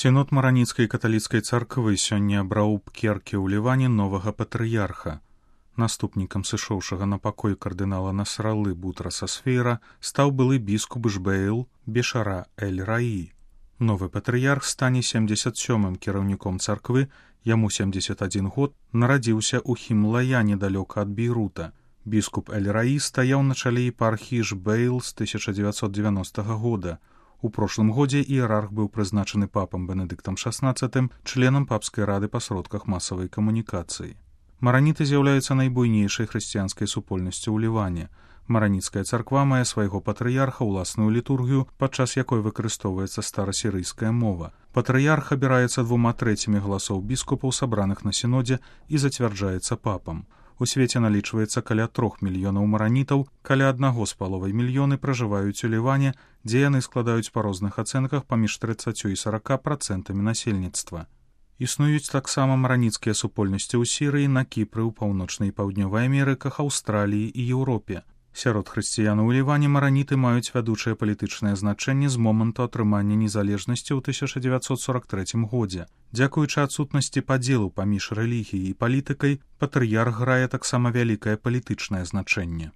Сінод Мараніцкай каталіцкай царквы сёння абраў у Пкерке ў Ліване новага патрыярха. Наступнікам сышоўшага на пакой кардынала Насралы Бутраса Сфейра стаў былы біскуп Жбейл Бешара Эль-Раі. Новы патрыярх стане 77-м кіраўніком царквы, яму 71 год, нарадзіўся ў Хімлая недалёка ад Бейрута. Біскуп Эль-Раі стаяў на чале епархіі Жбейл з 1990 года. У прошлым годзе іерарх быў прызначаны папам Бенедыктам XVI членам папскай рады па сродках масавай камунікацыі. Мараніты з'яўляюцца найбуйнейшай хрысціянскай супольнасцю ў Ліване. Мараніцкая царква мае свайго патрыярха, уласную літургію, падчас якой выкарыстоўваецца старасірыйская мова. Патрыярх абіраецца 2/3 галасоў біскупаў, сабраных на сінодзе, і зацвярджаецца папам. У свеце налічваецца каля 3 мільёнаў маранітаў, каля 1,5 мільёны пражываюць у Ліване, дзе яны складаюць па розных ацэнках паміж 30 і 40% насельніцтва. Існуюць таксама мараніцкія супольнасці ў Сірыі, на Кіпры, у паўночнай і паўднёвай Амерыках, Аўстраліі і Еўропе. Сярод хрысціянаў у Ліване мараніты маюць вядучае палітычнае значэнне з моманту атрымання незалежнасці ў 1943 годзе. Дзякуючы адсутнасці падзелу паміж рэлігіяй і палітыкай, патрыярх грае таксама вялікае палітычнае значэнне.